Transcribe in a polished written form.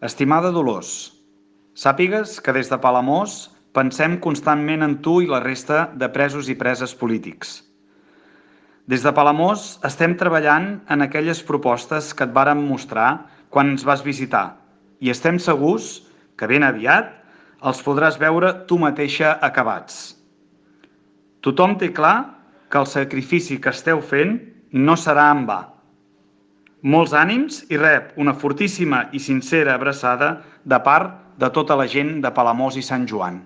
Estimada Dolors, sàpigues que des de Palamós pensem constantment en tu i la resta de presos i preses polítics. Des de Palamós estem treballant en aquelles propostes que et vàrem mostrar quan ens vas visitar i estem segurs que ben aviat els podràs veure tu mateixa acabats. Tothom té clar que el sacrifici que esteu fent no serà en va. Molts ànims i rep una fortíssima i sincera abraçada de part de tota la gent de Palamós i Sant Joan.